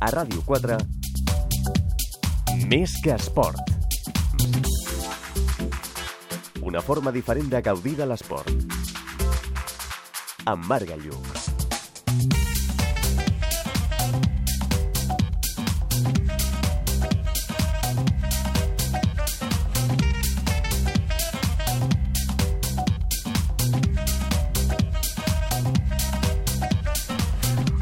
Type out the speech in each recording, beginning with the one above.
A Ràdio 4, Més que esport. Una forma diferent de gaudir de l'esport. Amb Marc Gallug.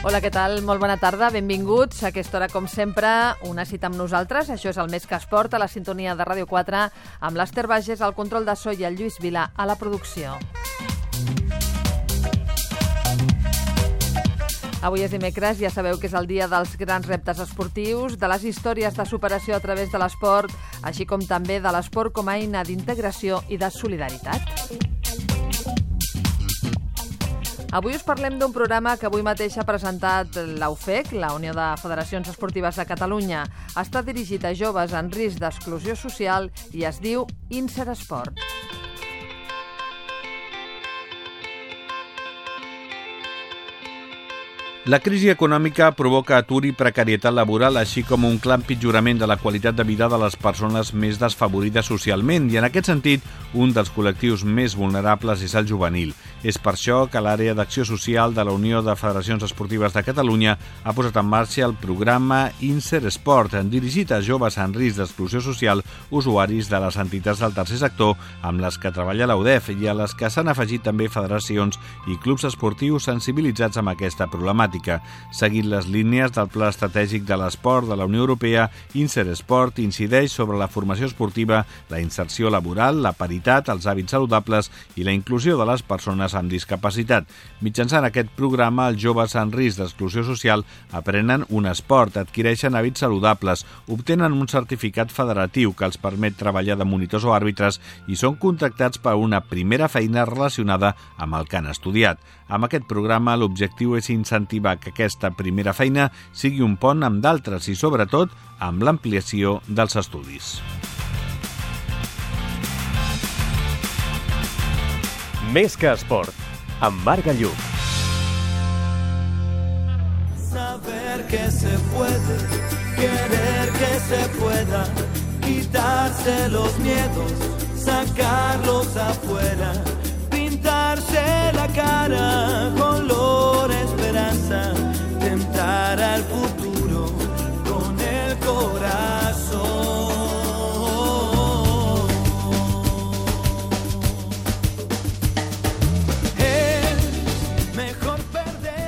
Hola, què tal? Molt bona tarda, benvinguts. A aquesta hora, com sempre, una cita amb nosaltres. Això és el Més que esport, a la sintonia de Ràdio 4, amb l'Ester Bages, al control de so i el Lluís Vilà a la producció. Avui és dimecres, ja sabeu que és el dia dels grans reptes esportius, de les històries de superació a través de l'esport, així com també de l'esport com a eina d'integració i de solidaritat. Avui us parlem d'un programa que avui mateix ha presentat la UFEC, la Unió de Federacions Esportives de Catalunya. Està dirigit a joves en risc d'exclusió social i es diu Insert Sport. La crisi econòmica provoca atur i precarietat laboral, així com un clar empitjorament de la qualitat de vida de les persones més desfavorides socialment, i en aquest sentit, un dels col·lectius més vulnerables és el juvenil. És per això que l'àrea d'acció social de la Unió de Federacions Esportives de Catalunya ha posat en marxa el programa Insert Sport, dirigit a joves en risc d'exclusió social, usuaris de les entitats del tercer sector, amb les que treballa la UDEF, i a les que s'han afegit també federacions i clubs esportius sensibilitzats amb aquesta problemàtica. Seguint les línies del Pla Estratègic de l'Esport de la Unió Europea, Insert Sport incideix sobre la formació esportiva, la inserció laboral, la paritat, els hàbits saludables i la inclusió de les persones amb discapacitat. Mitjançant aquest programa, els joves en risc d'exclusió social aprenen un esport, adquireixen hàbits saludables, obtenen un certificat federatiu que els permet treballar de monitors o àrbitres i són contractats per una primera feina relacionada amb el que han estudiat. Amb aquest programa, l'objectiu és incentivar que aquesta primera feina sigui un pont amb d'altres i, sobretot, amb l'ampliació dels estudis. Més que esport, amb Marc Gallug. Saber que se puede, querer que se pueda, quitarse los miedos, sacarlos afuera, pintarse la cara, color esperanza, tentar al futuro con el corazón.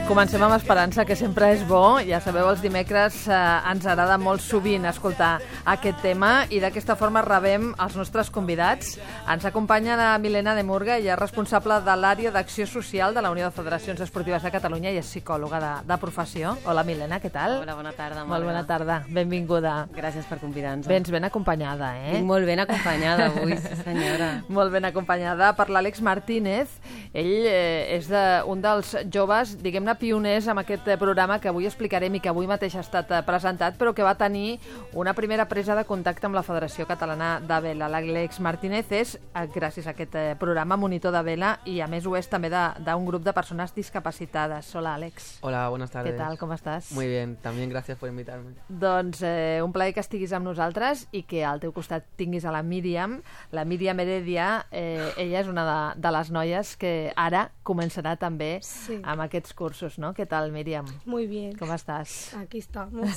Comencem amb esperança, que sempre és bo. Ja sabeu, els dimecres ens agrada molt sovint escoltar aquest tema i d'aquesta forma rebem els nostres convidats. Ens acompanya la Milena de Murga, ella és responsable de l'àrea d'acció social de la Unió de Federacions Esportives de Catalunya i és psicòloga de professió. Hola, Milena, què tal? Hola, bona tarda. Molt bona tarda, benvinguda. Gràcies per convidar-nos. Vens ben acompanyada, eh? Vinc molt ben acompanyada avui, sí senyora. Molt ben acompanyada per l'Àlex Martínez. Ell és un dels joves, diguem-ne, pioners amb aquest programa que avui explicarem i que avui mateix ha estat presentat, però que va tenir una primera presa de contacte amb la Federació Catalana de Vela. L'Àlex Martínez és, gràcies a aquest programa, monitor de vela i a més ho és també d'un grup de persones discapacitades. Hola, Àlex. Hola, buenas tardes. ¿Qué tal? ¿Cómo estás? Muy bien, también gracias por invitarme. Doncs un plaer que estiguis amb nosaltres i que al teu costat tinguis a la Míriam. La Míriam Heredia, ella és una de les noies que ara començarà també amb aquests cursos, no? ¿Qué tal, Míriam? Muy bien. ¿Cómo estás? Aquí estamos.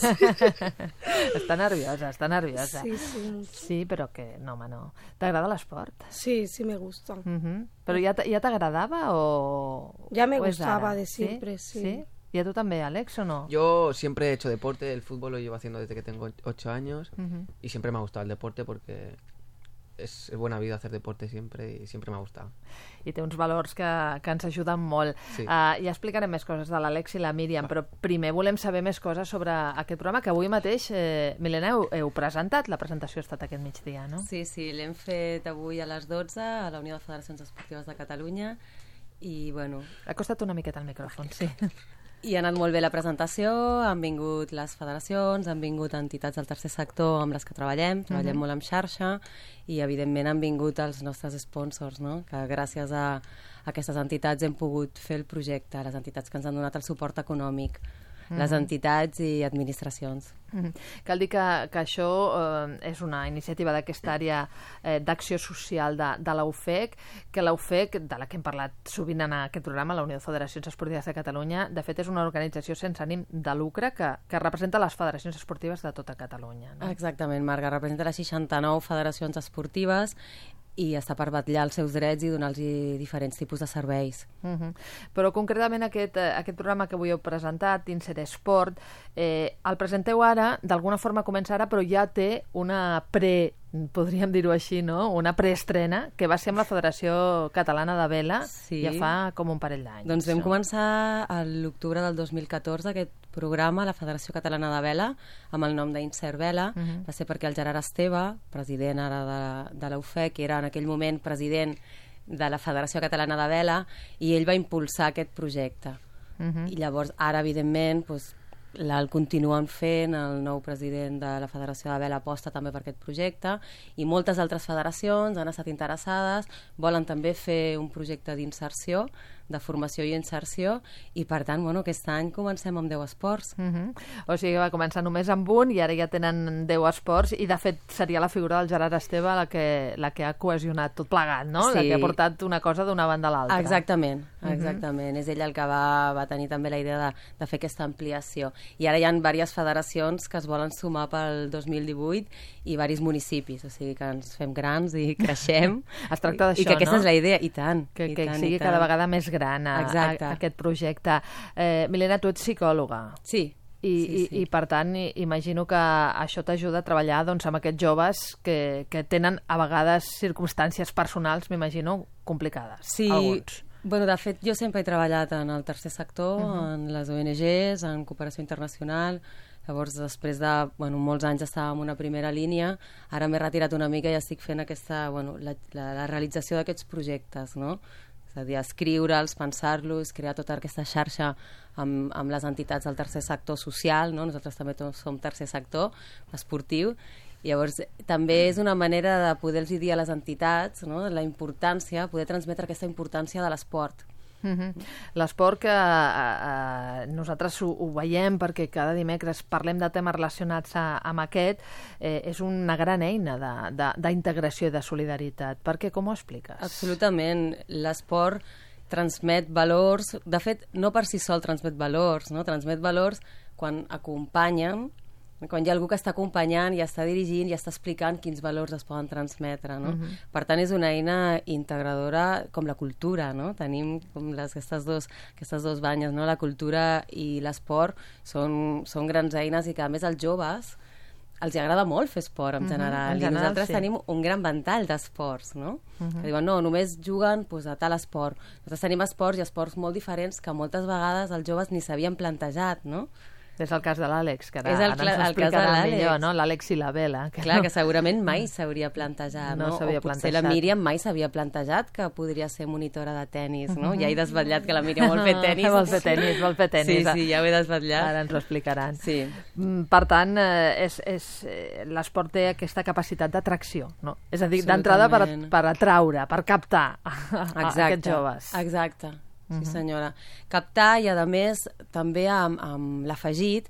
Está nerviosa, está nerviosa. Sí, sí. Sí, pero que no, home, no. ¿T'agrada l'esport? Sí, sí me gusta. ¿Pero ya t'agradava o...? Ya me o és gustaba ara? de siempre, sí. ¿Sí? ¿Y a tú también, Alex, o no? Yo siempre he hecho deporte, el fútbol lo llevo haciendo desde que tengo 8 años y siempre me ha gustado el deporte porque és buena vida hacer deporte sempre i sempre m'ha gustat. I té uns valors que ens ajuden molt. Sí. Ja explicarem més coses de l'Àlex i la Míriam, però primer volem saber més coses sobre aquest programa que avui mateix, Milena, heu presentat. La presentació ha estat aquest migdia, no? Sí, l'hem fet avui a les 12 a la Unió de Federacions Esportives de Catalunya i, bueno... Ha costat una miqueta el micròfon, sí. I ha anat molt bé la presentació, han vingut les federacions, han vingut entitats del tercer sector amb les que treballem molt en xarxa i evidentment han vingut els nostres sponsors, no? Que gràcies a aquestes entitats hem pogut fer el projecte, les entitats que ens han donat el suport econòmic. les entitats i administracions. Cal dir que això és una iniciativa d'aquesta àrea d'acció social de la UFEC, que la UFEC, de la que hem parlat sovint en aquest programa, la Unió de Federacions Esportives de Catalunya, de fet és una organització sense ànim de lucre que representa les federacions esportives de tota Catalunya. No? Exactament, Marga, representa les 69 federacions esportives i està per vetllar els seus drets i donar-los diferents tipus de serveis. Però concretament aquest programa que avui heu presentat, Insert Sport, el presenteu ara, d'alguna forma comença ara, però ja té una podríem dir-ho així, no? Una preestrena que va ser amb la Federació Catalana de Vela ja fa com un parell d'anys. Doncs vam començar a l'octubre del 2014 aquest programa, la Federació Catalana de Vela, amb el nom d'Insert Vela. Va ser perquè el Gerard Esteve, president ara de la UFEC, que era en aquell moment president de la Federació Catalana de Vela, i ell va impulsar aquest projecte. I llavors, ara, evidentment, doncs, el continuen fent, el nou president de la Federació de Vela aposta també per aquest projecte, i moltes altres federacions han estat interessades, volen també fer un projecte d'inserció, de formació i inserció, i per tant, bueno, aquest any comencem amb 10 esports. O sigui, va començar només amb un i ara ja tenen 10 esports, i de fet seria la figura del Gerard Esteve la que ha cohesionat tot plegat, no? Sí. La que ha portat una cosa d'una banda a l'altra. Exactament, exactament. És ell el que va tenir també la idea de fer aquesta ampliació. I ara hi ha diverses federacions que es volen sumar pel 2018 i diversos municipis, o sigui que ens fem grans i creixem. Es tracta d'això, I que aquesta no? és la idea, i tant. Que i tant, sigui cada vegada més gran aquest projecte. Milena, tu ets psicòloga. Sí. I per tant, imagino que això t'ajuda a treballar doncs, amb aquests joves que tenen a vegades circumstàncies personals, m'imagino, complicades. Sí. Alguns. Bueno, de fet, jo sempre he treballat en el tercer sector, en les ONGs, en cooperació internacional. Llavors, després de molts anys estava en una primera línia, ara m'he retirat una mica i estic fent la realització d'aquests projectes, no? És a dir, escriure'ls, pensar-los, crear tota aquesta xarxa amb les entitats del tercer sector social, no? Nosaltres també som tercer sector esportiu. Llavors, també és una manera de poder-los dir a les entitats, no? La importància, poder transmetre aquesta importància de l'esport. L'esport que nosaltres ho veiem perquè cada dimecres parlem de temes relacionats amb aquest, és una gran eina d'integració i de solidaritat. Per què? Com ho expliques? Absolutament. L'esport transmet valors, de fet no per si sol transmet valors, no? Transmet valors quan acompanyen, quan hi ha algú que està acompanyant i està dirigint i està explicant quins valors es poden transmetre, no? Per tant, és una eina integradora com la cultura, no? Tenim com aquestes dos banyes, no? La cultura i l'esport són grans eines i que, a més, als joves els agrada molt fer esport en general. I nosaltres tenim un gran ventall d'esports, no? Que diuen, no, només juguen a tal esport. Nosaltres tenim esports i esports molt diferents que moltes vegades els joves ni s'havien plantejat, no? És el cas de l'Àlex, que ara el ens cas explicarà de millor, no? L'Àlex i la Vela. Clar, que segurament mai s'hauria plantejat, no? No s'havia o potser plantejat. la Míriam mai s'havia plantejat que podria ser monitora de tennis, no? Ja he desvetllat que la Míriam vol fer tennis. Vol fer tennis. Sí, ja ho he desvetllat. Ara ens ho explicaran. Sí. Per tant, l'esport té aquesta capacitat d'atracció, no? És a dir, d'entrada per atraure, per captar aquests joves. Exacte. Sí, senyora. Captar i, a més, també amb l'afegit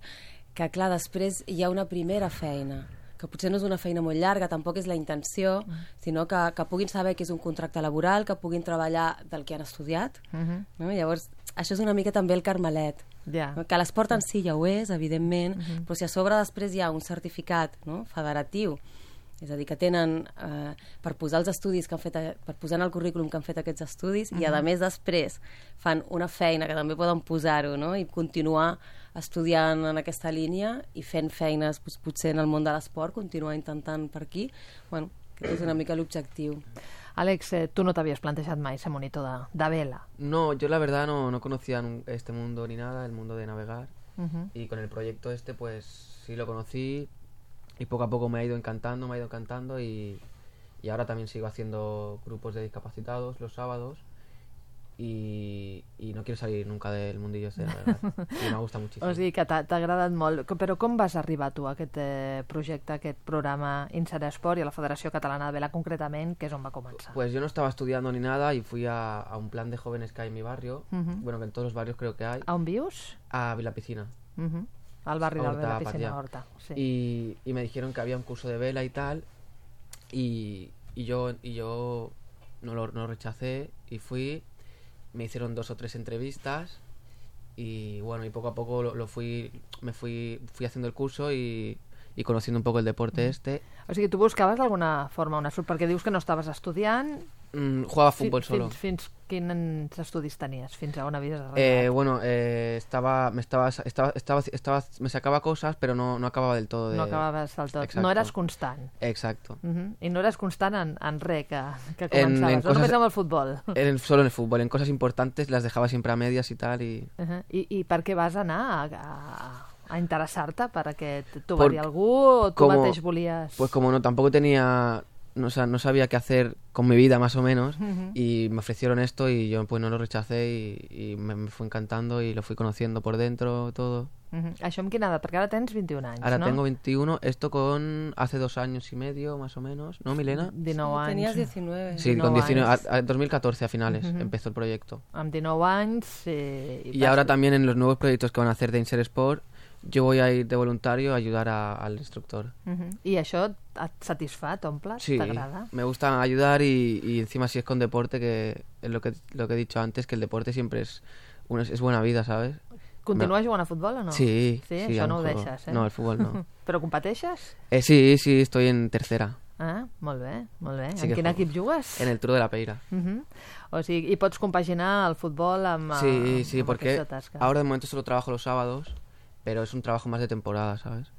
que, clar, després hi ha una primera feina, que potser no és una feina molt llarga, tampoc és la intenció, sinó que puguin saber que és un contracte laboral, que puguin treballar del que han estudiat. No? Llavors, això és una mica també el carmelet. Que l'esport en si ja ho és, evidentment, però si a sobre després hi ha un certificat, no? Federatiu, és a dir, que tenen per posar els estudis que han fet, per posar en el currículum que han fet aquests estudis, i a més després fan una feina que també poden posar-ho, no? I continuar estudiant en aquesta línia i fent feines potser en el món de l'esport, continuar intentant per aquí. Bueno, aquest és una mica l'objectiu. Àlex, tú no te habías planteado mai ser monitor de vela. No, yo la verdad no conocía este mundo ni nada, el mundo de navegar, y con el proyecto pues sí lo conocí. Y poco a poco me ha ido encantando y ahora también sigo haciendo grupos de discapacitados los sábados y no quiero salir nunca del mundillo ese, la verdad. Y me gusta muchísimo. O sigui que t'ha agradat molt. Però com vas arribar tu a aquest projecte, a aquest programa Insert Sport i a la Federació Catalana de Vela concretament, que és on va començar? Pues yo no estaba estudiando ni nada y fui a un plan de jóvenes que hay en mi barrio, bueno, que en todos los barrios creo que hay. A on vius? A Vilapiscina. Al barri de Horta, la piscina Patía. Horta. Sí. Y me dijeron que había un curso de vela y tal, y yo no lo rechacé y fui. Me hicieron 2 o 3 entrevistas y bueno, y poco a poco me fui haciendo el curso y conociendo un poco el deporte este. O sigui, tu buscaves d'alguna forma una sort, perquè dius que no estaves estudiant. Jugaba fútbol solo. Fins quins estudis tenies? Fins a on havies arribat? Bueno, me sacaba cosas, pero no acababa del todo. No acabaves del tot. Exacto. No eres constant. Exacto. I no eres constant en res que començaves, no només amb el futbol. Solo en el fútbol. En cosas importantes las dejaba siempre a medias y tal. I per què vas anar a interessar-te? Perquè t'ho va dir algú o tu mateix volies... Pues como tampoco tenía... No sabía qué hacer con mi vida más o menos y me ofrecieron esto y yo pues no lo rechacé y me fue encantando y lo fui conociendo por dentro todo. Això amb quina edat? Perquè ara tens 21 anys, Ahora no? tengo 21, esto con hace 2 años y medio más o menos, ¿no, Milena? 19 anys. Tenías 19. Sí, con 19, anys. a 2014 a finales empezó el proyecto. Amb 19 anys... Y ahora también en los nuevos proyectos que van a hacer de Insert Sport, yo voy a ir de voluntario a ayudar al instructor. I això et satisfà, t'omple? Sí, T'agrada? me gusta ayudar y encima si es con deporte, que es lo que he dicho antes, que el deporte siempre es buena vida, ¿sabes? Continues jugant a futbol o no? Sí, Sí, sí, això no ho aún juego. deixes, eh? No, el fútbol no. Però competeixes? Sí, estoy en tercera, Ah, molt bé, molt bé. Sí En que quin juego. equip jugues? en el Turo de la Peira. O sigui, i pots compaginar el futbol amb, Sí, amb porque aquesta tasca. ahora de momento solo trabajo los sábados, pero es un trabajo más de temporada, ¿sabes?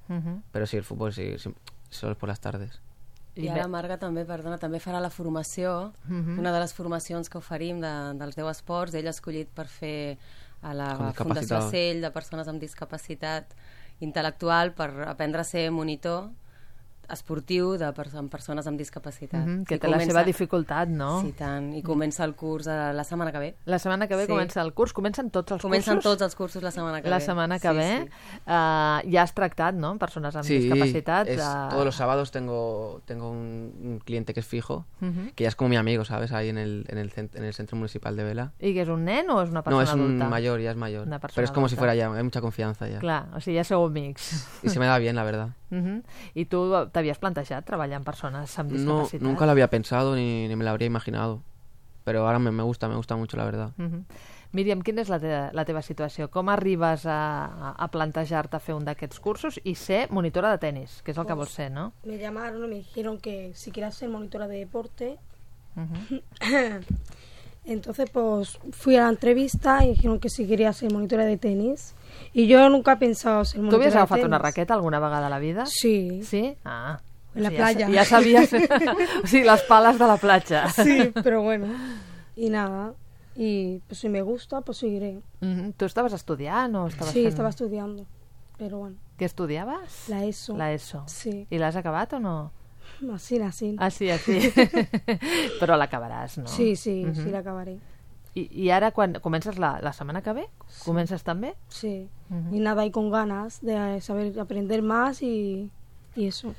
Pero sí, el fútbol sí, solo es por las tardes. I ara Marga també, perdona, també farà la formació, una de les formacions que oferim dels 10 esports, ell ha escollit per fer a la Com Fundació discapacitat. Cell de persones amb discapacitat intel·lectual per aprendre a ser monitor esportiu amb persones amb discapacitat. Que I té la seva dificultat, no? Sí, tant. I comença el curs la setmana que ve. La setmana que ve Sí. comença el curs. Comencen tots els Comencen cursos? tots els cursos la setmana que ve. La setmana que ve. Sí. Ja has tractat, no?, persones amb Sí, discapacitat. todos los sábados tengo un cliente que es fijo, que ya es como mi amigo, ¿sabes? Ahí en el Centro Municipal de Vela. I que és un nen o és una No, persona es un adulta? mayor, ya es mayor. Una persona Pero es como si adulta. fuera ya, hay mucha confianza ya. Clar, o sigui, ja sou amics. Y se me da bien, la verdad. I tu t'havies plantejat treballar amb persones amb No, discapacitat? nunca lo había pensado ni me lo habría imaginado. Pero ahora me gusta mucho, la verdad. Míriam, quina és la teva situació? Com arribes a plantejar-te fer un d'aquests cursos i ser monitora de tenis, que és el que vols ser, no? Me llamaron y me dijeron que si quería ser monitora de deporte. Entonces pues fui a la entrevista y dijeron que si quería ser monitora de tenis. Y yo nunca he pensado ser Tu monitora havies de agafat tenis. una raqueta alguna vegada a la vida? Sí. Sí? Ah. En la O sigui, playa. Ja sabies... o sigui, les pales de la platja. Sí, pero bueno. Y nada. Y pues si me gusta, pues seguiré. Tu estaves estudiant o estaves Sí, fent... estaba estudiando. Pero bueno, Què estudiaves? la ESO. La ESO. Sí. I l'has acabat o no? Así. Ah, sí. Però l'acabaràs, no? Sí, sí la acabaré. I ara, quan comences la setmana que ve? Comences també? Sí. Y nada, y con ganas de saber aprender más y eso.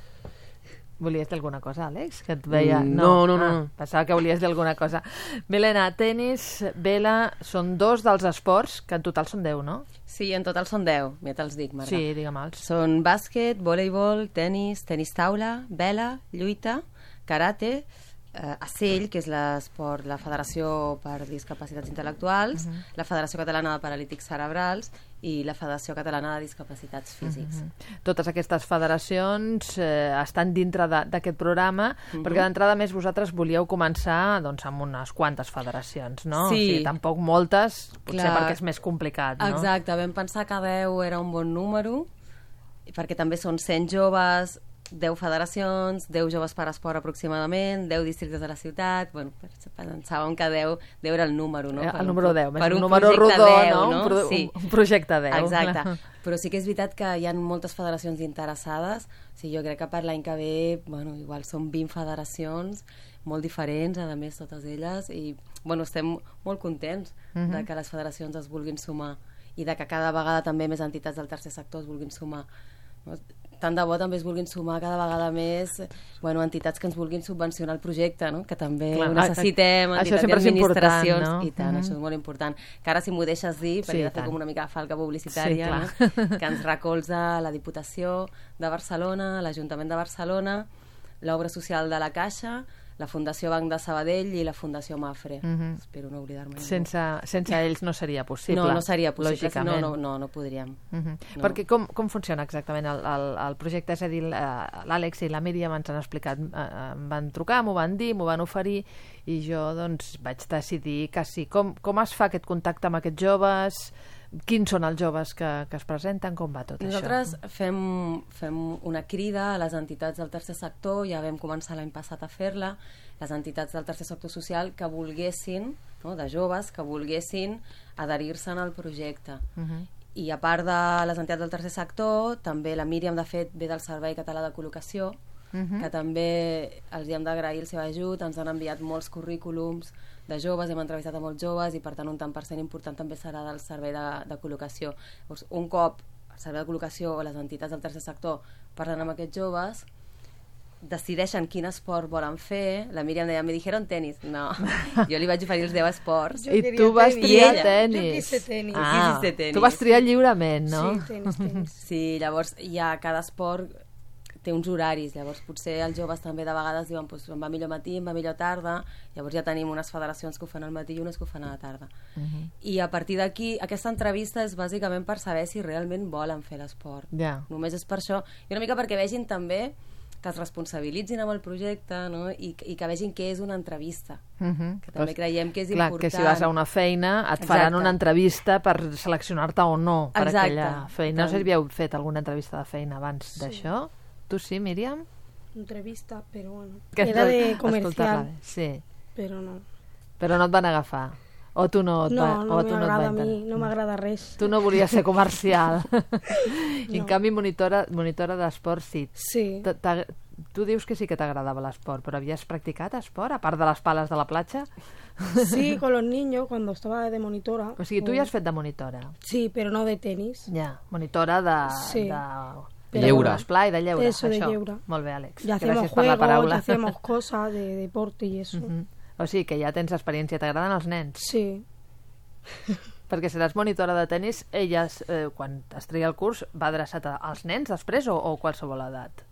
Volies dir alguna cosa, Àlex? Que et veia... No. Pensava que volies dir alguna cosa. Milena, tenis, vela, són 2 dels esports, que en total són 10, no? Sí, en total són 10, ja te'ls dic, Marga. Sí, digue'm-els. Són bàsquet, voleibol, tenis taula, vela, lluita, karate, ACEL, que és l'esport, la Federació per Discapacitats Intel·lectuals, la Federació Catalana de Paralítics Cerebrals i la Federació Catalana de Discapacitats Físics. Totes aquestes federacions estan dintre d'aquest programa, perquè d'entrada més vosaltres volíeu començar doncs, amb unes quantes federacions, no? Sí. O sigui, tampoc moltes, potser Clar. perquè és més complicat, no? Exacte, vam pensar que 10 era un bon número, perquè també són 100 joves, 10 federacions, 10 joves per esport aproximadament, 10 districtes de la ciutat. Bueno, pensàvem que 10 era el número, no? El número 10, per un un número projecte rodó, 10, no? Sí. Un projecte 10. Exacte. Però sí que és veritat que hi ha moltes federacions interessades. O sigui, jo crec que per l'any que ve, bueno, igual són 20 federacions molt diferents, a més, totes elles, i bueno, estem molt contents de que les federacions es vulguin sumar i de que cada vegada també més entitats del tercer sector es vulguin sumar. No? tant de bo també es vulguin sumar cada vegada més entitats que ens vulguin subvencionar el projecte, no? Que també ho necessitem, entitats i administracions. No? I tant, això és molt important. Que ara, si m'ho deixes dir, perquè he de fer com una mica de falca publicitària, que ens recolza la Diputació de Barcelona, l'Ajuntament de Barcelona, l'Obra Social de la Caixa, la Fundació Banc de Sabadell i la Fundació Mafre. Espero no oblidar-me. Sense ells no seria possible. No seria possible. Lògicament. No podríem. No. Perquè com funciona exactament el projecte? És a dir, l'Àlex i la Míriam ens han explicat, em van trucar, m'ho van dir, m'ho van oferir, i jo doncs vaig decidir que sí. Com es fa aquest contacte amb aquests joves? Quins són els joves que es presenten? Com va tot Nosaltres fem una crida a les entitats del tercer sector, ja vam començar l'any passat a fer-la, les entitats del tercer sector social que volguessin, no, de joves, que volguessin adherir-se'n al projecte. I a part de les entitats del tercer sector, també la Míriam, de fet, ve del Servei Català de Col·locació, que també els hi hem d'agrair el seu ajut, ens han enviat molts currículums de joves, hem entrevistat a molts joves i per tant un tant per cent important també serà del servei de col·locació. Llavors, un cop el servei de col·locació o les entitats del tercer sector parlen amb aquests joves, decideixen quin esport volen fer. La Míriam deia, me dijeron tenis. No, jo li vaig oferir els 10 esports. I tu vas triar tenis. Jo quise tenis. Tenis. Tu vas triar lliurement, no? Sí, tenis. Sí, llavors ja cada esport té uns horaris, llavors potser els joves també de vegades diuen pues, em va millor matí, em va millor tarda, llavors ja tenim unes federacions que ho fan al matí i unes que ho fan a la tarda. I a partir d'aquí, aquesta entrevista és bàsicament per saber si realment volen fer l'esport. Només és per això, i una mica perquè vegin també que es responsabilitzin amb el projecte, no? I que vegin què és una entrevista, que també creiem que és important. Que si vas a una feina et faran una entrevista per seleccionar-te o no per aquella feina. No sé si havíeu fet alguna entrevista de feina abans d'això. Tu sí, Míriam? Entrevista, però bueno. Era de comercial. Sí. Però no. Però no et van agafar? O tu no et no m'agrada a mi, no m'agrada res. Tu no volies ser comercial. I en canvi monitora d'esport sí. Sí. Tu dius que sí que t'agradava l'esport, però havies practicat esport, a part de les pales de la platja? Sí, con los niños, cuando estaba de monitora. O sigui, tu ja has fet de monitora? Sí, però no de tenis. Ja, monitora de... Sí. De lleure. D'esplai, de lleure. Eso, de lleure. Molt bé, Àlex. Ya hacemos juegos, ya hacemos cosas de deporte y eso. O sigui que ja tens experiència. T'agraden els nens? Sí. Perquè seràs monitora de tenis, elles, quan es treia el curs, va adreçat als nens després o qualsevol edat?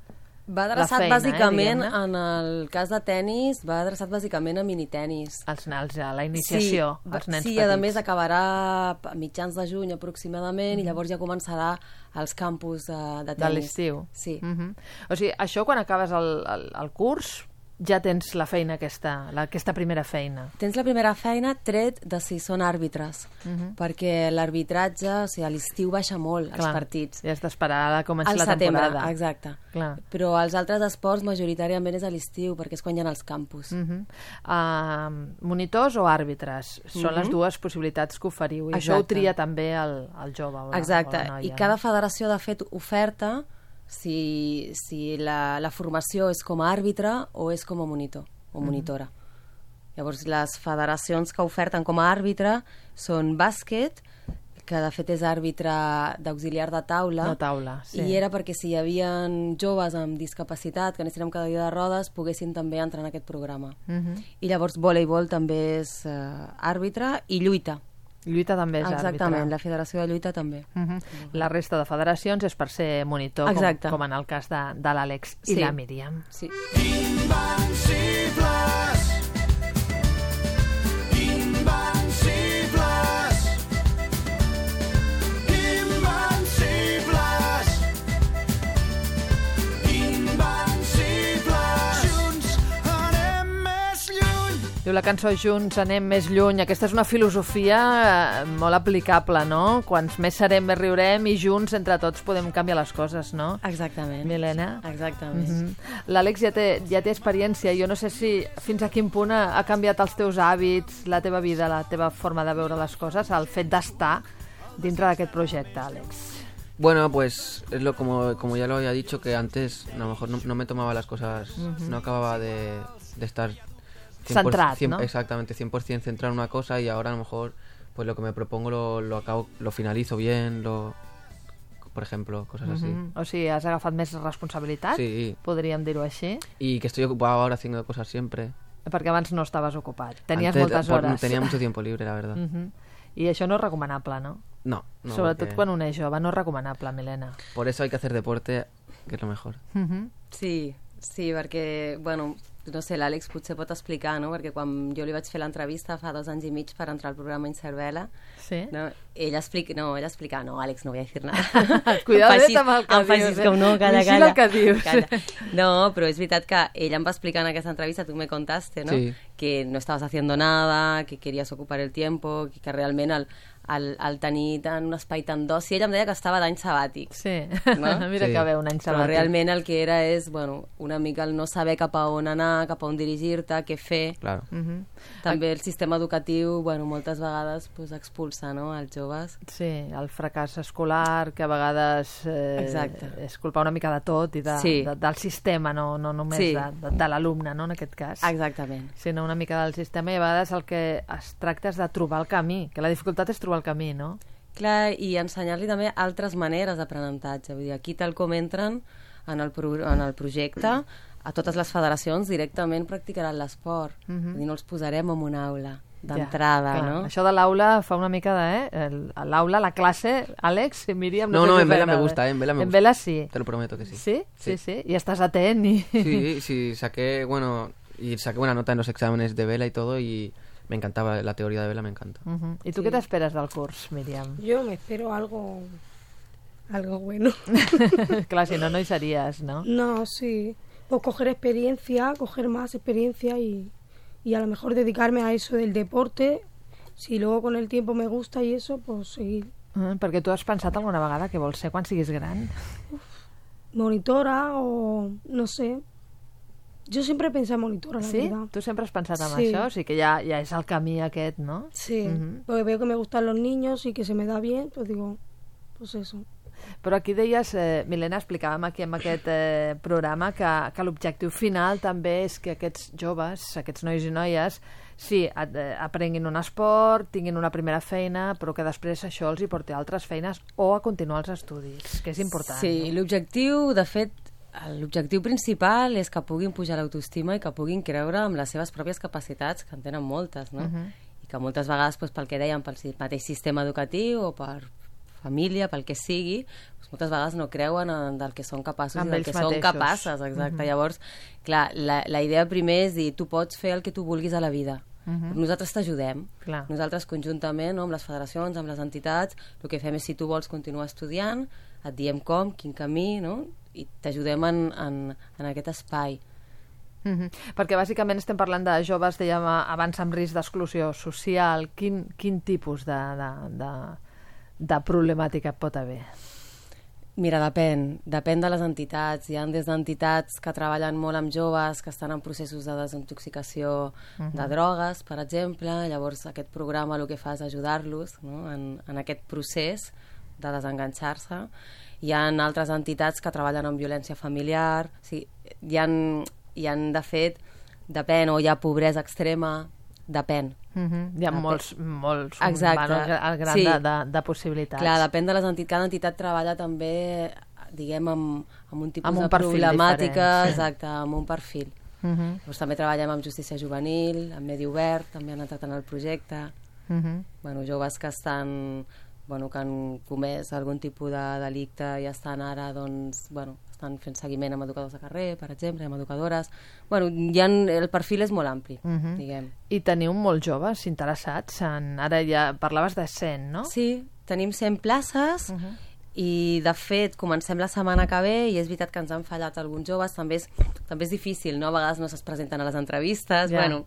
Va adreçat bàsicament, en el cas de tenis, va adreçat bàsicament a minitenis. La iniciació, als nens petits. Sí, a més acabarà a mitjans de juny aproximadament i llavors ja començarà als campus de tenis. De l'estiu. Sí. O sigui, això quan acabes el curs ja tens la feina aquesta primera feina. Tens la primera feina tret de si són àrbitres, perquè l'arbitratge, o sigui, a l'estiu baixa molt els partits. I has d'esperar a començar la temporada. Exacte. Clar. Però els altres esports majoritàriament és a l'estiu, perquè és quan hi ha els campus. Monitors o àrbitres? Són les dues possibilitats que oferiu. I això ho tria també el jove o la noia. I cada federació, de fet, oferta si la formació és com a àrbitre o és com a monitor o monitora. Llavors, les federacions que oferten com a àrbitre són bàsquet, que de fet és àrbitre d'auxiliar de taula. De taula, sí. I era perquè si hi havia joves amb discapacitat que anessin amb cadira de rodes poguessin també entrar en aquest programa. I llavors voleibol també és àrbitre i lluita. Lluita també és àrbitre. Exactament, la Federació de Lluita també. La resta de federacions és per ser monitor, com en el cas de l'Àlex i la Míriam. Sí. Invencibles, invencibles, invencibles, invencibles. Junts anem més lluny. Diu la cançó Junts anem més lluny. Aquesta és una filosofia molt aplicable, no? Quants més serem, més riurem i junts, entre tots, podem canviar les coses, no? Exactament. Milena? Exactament. L'Àlex ja té experiència. Jo no sé si fins a quin punt ha canviat els teus hàbits, la teva vida, la teva forma de veure les coses, el fet d'estar dintre d'aquest projecte, Àlex. Bueno, pues es como ya lo había dicho, que antes a lo mejor no me tomaba las cosas, no acababa de estar... centrat, ¿no? Exactamente, 100% centrado en una cosa, y ahora a lo mejor pues lo que me propongo lo finalizo bien, por ejemplo, cosas así. O sigui, has agafat més responsabilitat, Sí. podríem dir-ho així, Y que estoy ocupado ahora haciendo cosas siempre. perquè abans no estaves ocupat. Tenies Antes, moltes hores. Tenía mucho tiempo libre, la verdad. I això no és recomanable, no? No, Sobretot porque quan un és jove, no és recomanable, Milena. por eso hay que hacer deporte, que es lo mejor. Sí, perquè, bueno, no sé, l'Àlex potser pot explicar, no? Perquè quan jo li vaig fer l'entrevista fa 2 anys i mig per entrar al programa Incervela, Sí? no? ella explica, no, Àlex, no voy a decir nada. Cuidadet amb el que em facis dius, com no, calla, vigila el que dius. Calla. No, però és veritat que ella em va explicar en aquesta entrevista, tu me contaste, ¿no? Sí. Que no estabas haciendo nada, que querías ocupar el tiempo, que realment el tenir tant un espai tan d'oci, ella em deia que estava d'any sabàtic. Sí, No? mira Sí. que bé, un any Però sabàtic. realment el que era és, bueno, una mica el no saber cap a on anar, cap a on dirigir-te, què fer. Claro. També el sistema educatiu, bueno, moltes vegades pues, expulsa, no?, els joves. Sí, el fracàs escolar, que a vegades Exacte. és culpa una mica de tot i Sí. del sistema, no només Sí. de l'alumne, no, en aquest cas. Exactament. Sinó una mica del sistema i a vegades el que es tracta és de trobar el camí, que la dificultat és trobar el camí, no? Clar, i ensenyar-li també altres maneres d'aprenentatge. Vull dir, aquí tal com entren en el projecte, a totes les federacions directament practicaran l'esport. Vull dir, no els posarem en una aula d'entrada, Ja, clar. no? Això de l'aula fa una mica de... L'aula, la classe, Àlex, Míriam... No, sé no, si en Vela me t'agrada. gusta, en Vela me En gusta. Vela sí. Te lo prometo que sí. ¿Sí? Sí, sí. Y estás atent y... Sí, sí, saqué buena nota en los exámenes de Vela y todo y me encantaba la teoría de Vela, me encanta. I tu què t'esperes del curs, Míriam? Yo me espero algo bueno. Clar, si no, no hi series, no? No, sí. Pues coger experiencia, coger más experiencia y a lo mejor dedicarme a eso del deporte. Si luego con el tiempo me gusta y eso, pues seguir. Perquè tu has pensat alguna vegada que vols ser quan siguis gran? Monitora o no sé. Yo siempre he pensado en monitora, la Sí? verdad. Tu sempre has pensat en Sí. això? O sigui que ja és el camí aquest, no? Sí, porque veo que me gustan los niños y que se me da bien, pues digo, pues eso. Però aquí deies, Milena, explicàvem aquí en aquest programa que l'objectiu final també és que aquests joves, aquests nois i noies, sí, aprenguin un esport, tinguin una primera feina, però que després això els hi porti a altres feines o a continuar els estudis, que és important. Sí, no? l'objectiu, de fet, l'objectiu principal és que puguin pujar l'autoestima i que puguin creure en les seves pròpies capacitats, que en tenen moltes, no? I que moltes vegades, doncs, pel que dèiem, pel mateix sistema educatiu o per família, pel que sigui, doncs moltes vegades no creuen en del que són capaços Amb i del ells que són mateixos. capaces, exacte. Llavors, clar, la idea primer és dir, tu pots fer el que tu vulguis a la vida. Nosaltres t'ajudem. Clar. Nosaltres conjuntament, no, amb les federacions, amb les entitats, el que fem és, si tu vols continuar estudiant, et diem com, quin camí, no? I t'ajudem en aquest espai. Perquè bàsicament estem parlant de joves, dèiem abans, amb risc d'exclusió social. Quin tipus de problemàtica pot haver? Mira, depèn de les entitats. Hi ha des d'entitats que treballen molt amb joves que estan en processos de desintoxicació de drogues, per exemple. Llavors aquest programa el que fa és ajudar-los, no?, en aquest procés de desenganxar-se. Hi ha altres entitats que treballen amb violència familiar. O sigui, hi ha de fet, depèn, o hi ha pobresa extrema, depèn. Hi ha molts Exacte. el gran Sí. de possibilitats. Clar, depèn de les entitats. Cada entitat treballa també, diguem, amb un tipus Amb un de perfil problemàtica, diferent, sí. exacte, amb un perfil. Llavors, també treballem amb justícia juvenil, amb medi obert, també han entrat en el projecte. Bueno, joves que estan, que han comès algun tipus de delicte i estan ara, doncs, estan fent seguiment amb educadors de carrer, per exemple, amb educadores. El perfil és molt ampli, diguem. I teniu molts joves interessats ara ja parlaves de 100, no? Sí, tenim 100 places i, de fet, comencem la setmana que ve i és veritat que ens han fallat alguns joves. També és difícil, no? A vegades no se'ls presenten a les entrevistes. Ja. Bueno,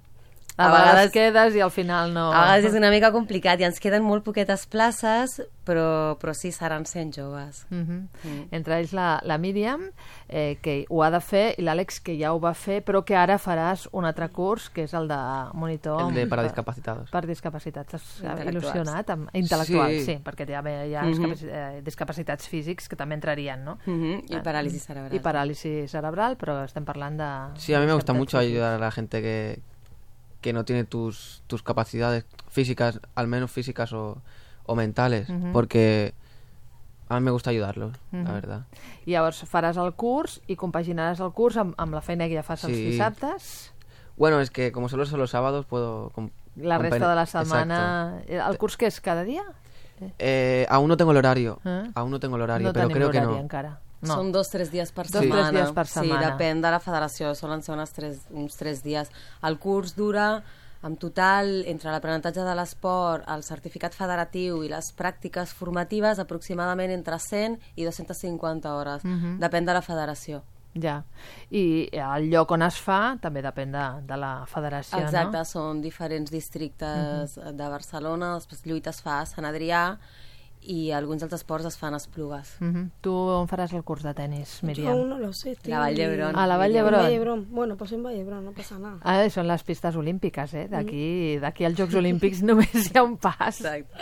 a vegades quedes i al final no... A vegades és una mica complicat i ens queden molt poquetes places, però sí, seran 100 joves. Entre ells la Míriam, que ho ha de fer, i l'Àlex, que ja ho va fer, però que ara faràs un altre curs, que és el de monitor... El de para discapacitados. Per discapacitats. Estàs Intel·lectuals. Il·lusionat? Intel·lectuals, Sí. sí, perquè hi ha discapacitats físics que també entrarien, no? I paràlisi cerebral. I paràlisi cerebral, però estem parlant de... Sí, a mí me gusta discapacitats mucho físics. ayudar a la gente que no tiene tus capacidades físicas, al menos físicas o mentales, porque a mí me gusta ayudarlos, la verdad. I llavors faràs el curs i compaginaràs el curs amb la feina que ja fas els Sí. dissabtes. Bueno, es que como solo son los sábados puedo... La resta de la setmana... Exacto. El curs què és? Cada dia? Aún no tengo el horario, No pero tenim creo que horari no. encara. No. Són 2-3 dies per Dos, setmana. 3 dies per setmana. Sí, depèn de la federació, solen ser uns 3 dies. El curs dura, en total, entre l'aprenentatge de l'esport, el certificat federatiu i les pràctiques formatives, aproximadament entre 100 i 250 hores. Depèn de la federació. Ja. I el lloc on es fa també depèn de la federació, Exacte, no? són diferents districtes de Barcelona, després Lluita es fa a Sant Adrià i alguns dels esports es fan a Esplugues. Tu on faràs el curs de tenis, Yo Míriam? aún no lo sé. estoy La Vall d'Hebron. A la Vall en d'Hebron. Vallebrón. Bueno, pues en Vallebrón, no pasa nada. Ah, són les pistes olímpiques, eh? D'aquí als Jocs Olímpics només hi ha un pas. Exacte.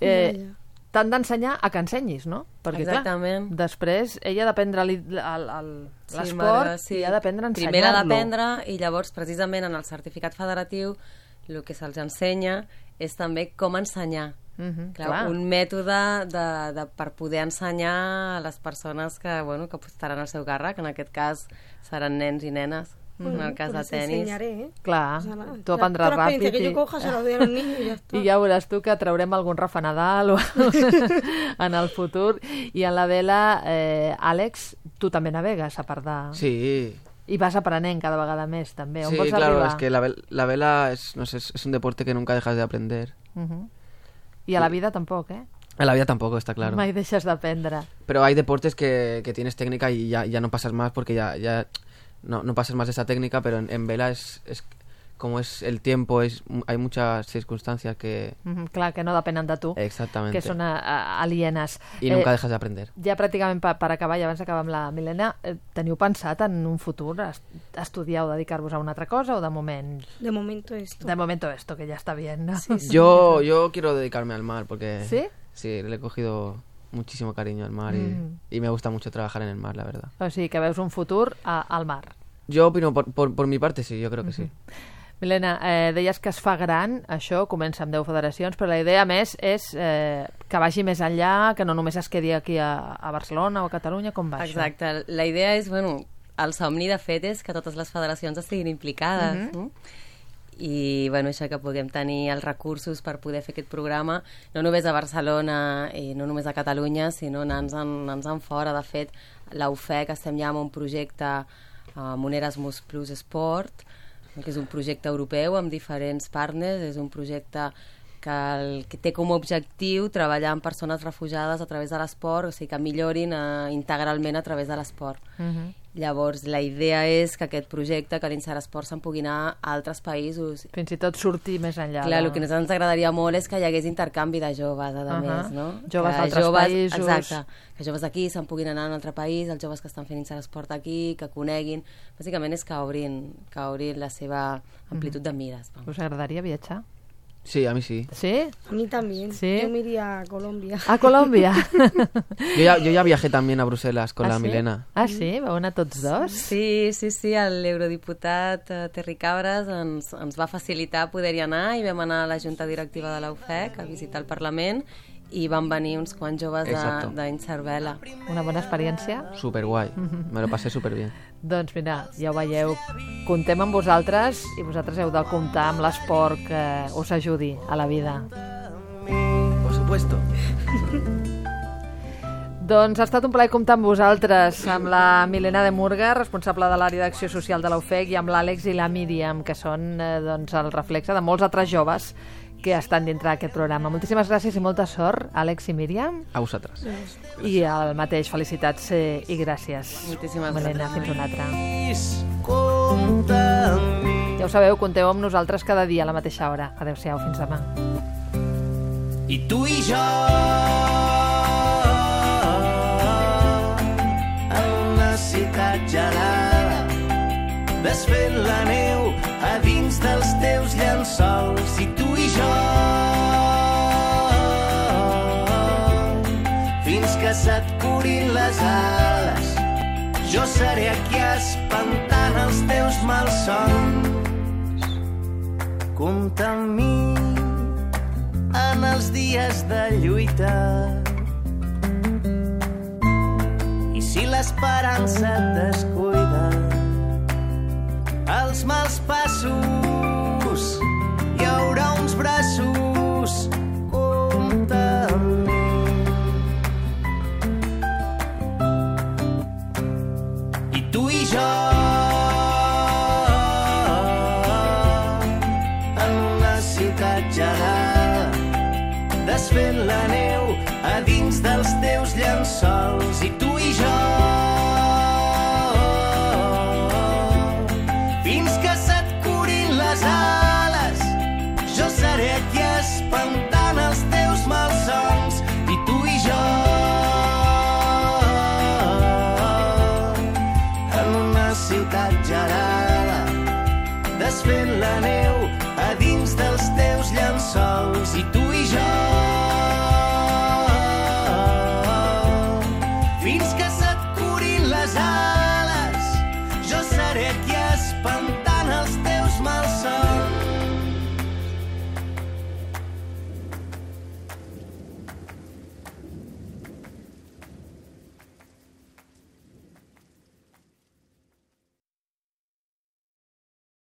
Ja. T'han d'ensenyar a que ensenyis, no? Perquè, Exactament. clar, després ella ha d'aprendre l'esport Marga, sí. i ha d'aprendre a ensenyar-lo. Primer l'ha d'aprendre i llavors, precisament, en el certificat federatiu, el que se'ls ensenya és també com ensenyar. Clar, un mètode per poder ensenyar a les persones que estaran al seu càrrec, en aquest cas seran nens i nenes, en el cas de Pues les tenis. enseñaré, ¿eh? Clar, O sea, nada, tu aprendràs toda la experiencia ràpid que yo coja se la doy a los niños y ya está. i ja veuràs tu que traurem algun Rafa Nadal o en el futur. I en la vela, Àlex, tu també navegues, a part de... Sí, I vas aprenent cada vegada més, també. On sí, vols claro, arribar? es que la vela es, no sé, es un deporte que nunca dejas de aprender. I a la vida tampoc, eh? En la vida tampoco, está claro. Mai deixes d'aprendre. Pero hay deportes que tienes técnica y ya no pasas más porque ya no pasas más de esa técnica, pero en vela es como es el tiempo, hay muchas circunstancias que... Clar, que no depenen de tu, Exactamente. que són alienes. Y nunca dejas de aprender. Ja pràcticament per acabar, i abans d'acabar amb la Milena, teniu pensat en un futur estudiar o dedicar-vos a una altra cosa o de moment? De momento esto. De momento esto, que ya está bien, ¿no? Yo quiero dedicarme al mar porque... ¿Sí? Sí, le he cogido muchísimo cariño al mar y me gusta mucho trabajar en el mar, la verdad. O sigui, que veus un futur al mar. Yo opino, por mi parte, sí, yo creo que sí. Milena, deies que es fa gran, això comença amb 10 federacions, però la idea més és que vagi més enllà, que no només es quedi aquí a Barcelona o a Catalunya, com va Exacte, la idea és, el somni de fet és que totes les federacions estiguin implicades, no? I això que puguem tenir els recursos per poder fer aquest programa, no només a Barcelona i no només a Catalunya, sinó anant-se'n fora. De fet, la UFEC estem ja amb un projecte amb un Erasmus Plus Sport, que és un projecte europeu amb diferents partners, és un projecte que té com a objectiu treballar amb persones refugiades a través de l'esport, o sigui, que millorin integralment a través de l'esport. Llavors, la idea és que aquest projecte, que l'Inseresport, se'n pugui anar a altres països. Fins i tot sortir més enllà. Clar, el que a nosaltres ens agradaria molt és que hi hagués intercanvi de joves, a més, no? Joves d'altres països. Exacte, que joves d'aquí se'n puguin anar a un altre país, els joves que estan fent Inseresport aquí, que coneguin. Bàsicament és que obrin la seva amplitud de mires. Us agradaria viatjar? Sí, a mí sí. ¿Sí? A mí también. ¿Sí? Yo me iría a Colombia. A Colòmbia? Yo ya viajé también a Bruselas con la sí? Milena. Ah, sí? Vau anar tots dos? Sí, l'eurodiputat Terry Cabres ens va facilitar poder-hi anar i vam anar a la junta directiva de la UFEC a visitar el Parlament i van venir uns quants joves d'Inservela. Una bona experiència? Súper guay, me lo pasé súper bien. Doncs mira, ja ho veieu, comptem amb vosaltres i vosaltres heu de comptar amb l'esport que us ajudi a la vida. Por supuesto. Doncs ha estat un plaer comptar amb vosaltres, amb la Milena de Murga, responsable de l'àrea d'acció social de la UFEC, i amb l'Àlex i la Míriam, que són el reflexe de molts altres joves que estan dintre d'aquest programa. Moltíssimes gràcies i molta sort, Àlex i Míriam. A vosaltres. I el mateix, felicitats i gràcies. Moltíssimes Milena, gràcies. fins una altra. Ja ho sabeu, compteu amb nosaltres cada dia a la mateixa hora. Adéu-siau, fins demà. I tu i jo en una ciutat gelada, desfent la neu a dins dels teus llençols. I tu i jo fins que se't curin les ales, jo seré aquí espantant els teus malsons. Compta amb mi en els dies de lluita, l'esperança et descuida. Els mals passos, hi haurà uns braços, compta amb mi. I tu i jo, en una ciutat gelada, desfent la neu a dins dels teus llençols. I tu i jo,